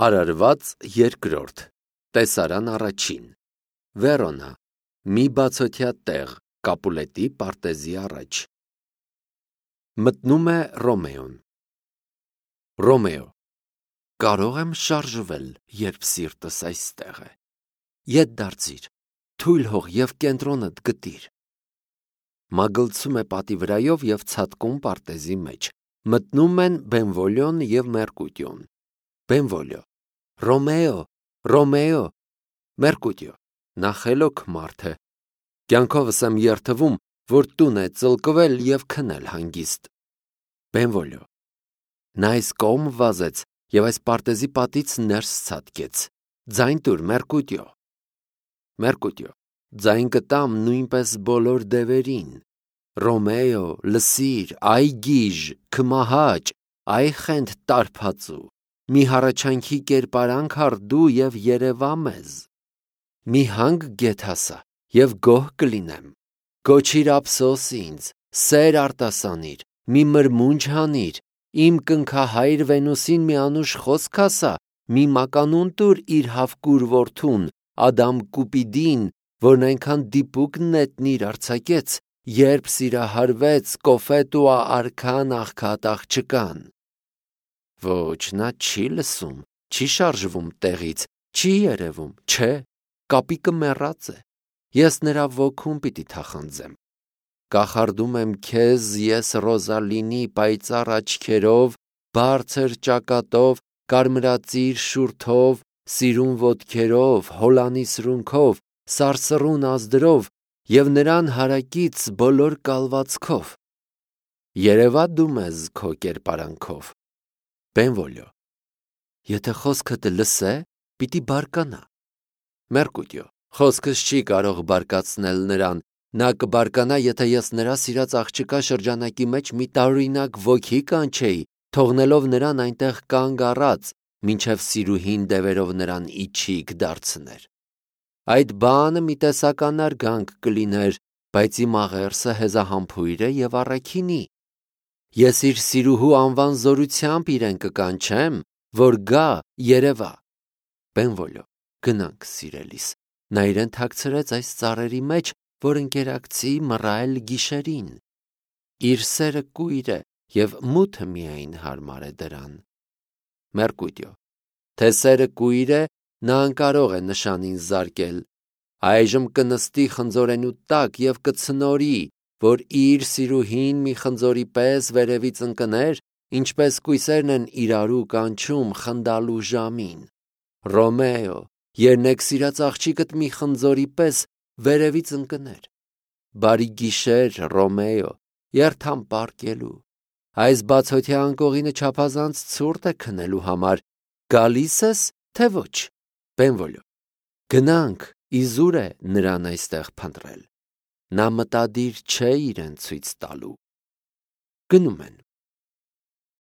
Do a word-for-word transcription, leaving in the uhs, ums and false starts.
Արարված երկրորդ, տեսարան առաջին, Վերոնա, մի բացօթյա տեղ, Կապուլետի պարտեզի առաջ։ Մտնում է Ռոմեոն։ Ռոմեո, կարող եմ շարժվել, երբ սիրտս այստեղ է։ Ետ դարձիր, թույլ հող և կենտրոնդ գտիր։ Մագլցում է պատի վրայով և ցատկում պարտեզի մեջ։ Մտնում են Բենվոլիոն և Մերկուտիոն։ Բենվոլիո, Ռոմեո, Ռոմեո, Մերկուտիո, նա խելոք մարդ է։ Կյանքովս եմ երդվում, որ տուն է ծլկվել և քնել հանգիստ։ Բենվոլիո, նա այս կողմ վազեց և այս պարտեզի պատից ներս ցատկեց։ Ձայն տուր, Մերկուտիո։ Մերկուտիո, ձայն կտամ նույնպես բոլոր դևերին։ Ռոմեո, լսիր, այ գիժ, քմահաճ, այ խենթ տարբածու, մի հառաչանքի կերպարանք առ դու և երևա մեզ։ Մի հանգ գեթ ասա և գոհ կլինեմ։ Կոչիր ափսոս ինձ, սեր արտասանիր, մի մրմունջ հանիր, իմ կնքահայր Վենուսին մի անուշ խոսք ասա, մի մականուն տուր իր հավկուր որդուն, Ադամ Կուպիդին, որն այնքան դիպուկ նետնիր արձակեց, երբ սիրահարվեց Կոֆետուա արքան աղքատ աղջկան։ Ոչ, նա չի լսում, չի շարժվում տեղից, չի երևում, չէ, կապիկը մեռած է։ Ես նրա ոգուն պիտի թախանձեմ։ Կախարդում եմ քեզ ես Ռոզալինի պայծառ աչքերով, բարձր ճակատով, կարմրածիր շուրթով, սիրուն ոտքերով, հոլանի սրունքով, սարսռուն ազդրով և նրան հարակից բոլոր կալվածքով։ Երևա դու մեզ քո կերպարանքով։ Բենվոլիո, եթե խոսքդ լսե, պիտի բարկանա։ Մերկուտիո, խոսքս չի կարող բարկացնել նրան, նա կբարկանա, եթե ես նրա սիրած աղջկա շրջանակի մեջ մի տարօրինակ ոգի կանչեի, թողնելով նրան այնտեղ կանգ առած, մինչև սիրուհին դևերով նրան իչիք դարձներ։ Այդ բանը մի տեսական արգանք կլիներ, բայց իմ աղերսը հեզահամբույր է և առաքինի։ Ես իր սիրուհու անվան զորությամբ իրեն կկանչեմ, որ գա երևա։ Բենվոլիո, գնանք սիրելիս, նա իրեն թաքցրեց այս ծառերի մեջ, որ ընկերակցի մռայլ գիշերին։ Իր սերը կույր է և մութը միայն հարմար է դրան։ Մերկուտիո, թե սերը կույր է, նա անկարող է նշանին զարկել։ Այժմ կնստի խնձորենու տակ և կցնորի, որ իր սիրուհին մի խնձորի պես վերևից ընկներ, ինչպես կույսերն են իրարու կանչում խնդալու ժամին։ Ռոմեո, երնեք սիրած աղջիկդ մի խնձորի պես վերևից ընկներ։ Բարի գիշեր, Ռոմեո, երթամ պառկելու։ Այս բացօթյա անկողինը չափազանց ցուրտ է քնելու համար, գալի՞ս ես, թե ոչ։ Բենվոլիո, գնանք, իզուր է նրան այստեղ փնտրել։ Նա մտադիր չէ իրեն ցույց տալու։ Գնում են։